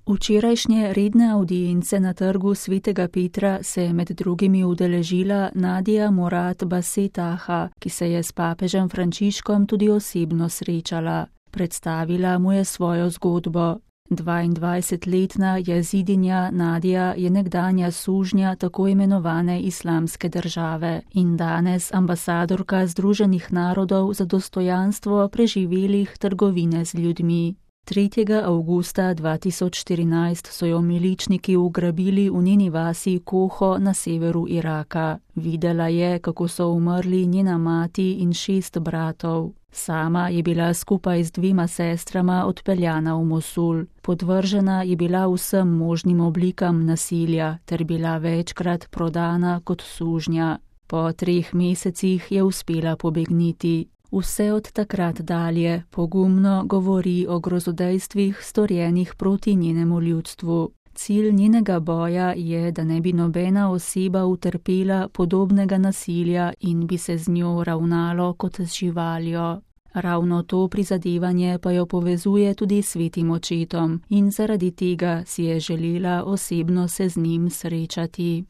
Včerajšnje redne avdience na trgu Svetega Petra se je med drugimi udeležila Nadia Murad Basetaha, ki se je s papežem Frančiškom tudi osebno srečala. Predstavila mu je svojo zgodbo. 22-letna jazidinja Nadia je nekdanja sužnja tako imenovane Islamske države in danes ambasadorka Združenih narodov za dostojanstvo preživelih trgovine z ljudmi. 3. avgusta 2014 so jo miličniki ugrabili v njeni vasi Koho na severu Iraka. Videla je, kako so umrli njena mati in 6 bratov. Sama je bila skupaj z 2 sestrama odpeljana v Mosul. Podvržena je bila vsem možnim oblikam nasilja ter bila večkrat prodana kot sužnja. Po 3 mesecih je uspela pobegniti. Vse od takrat dalje pogumno govori o grozodejstvih storjenih proti njenemu ljudstvu. Cilj njenega boja je, da ne bi nobena oseba utrpela podobnega nasilja in bi se z njo ravnalo kot z živaljo. Ravno to prizadevanje pa jo povezuje tudi s Svetim očetom in zaradi tega si je želela osebno se z njim srečati.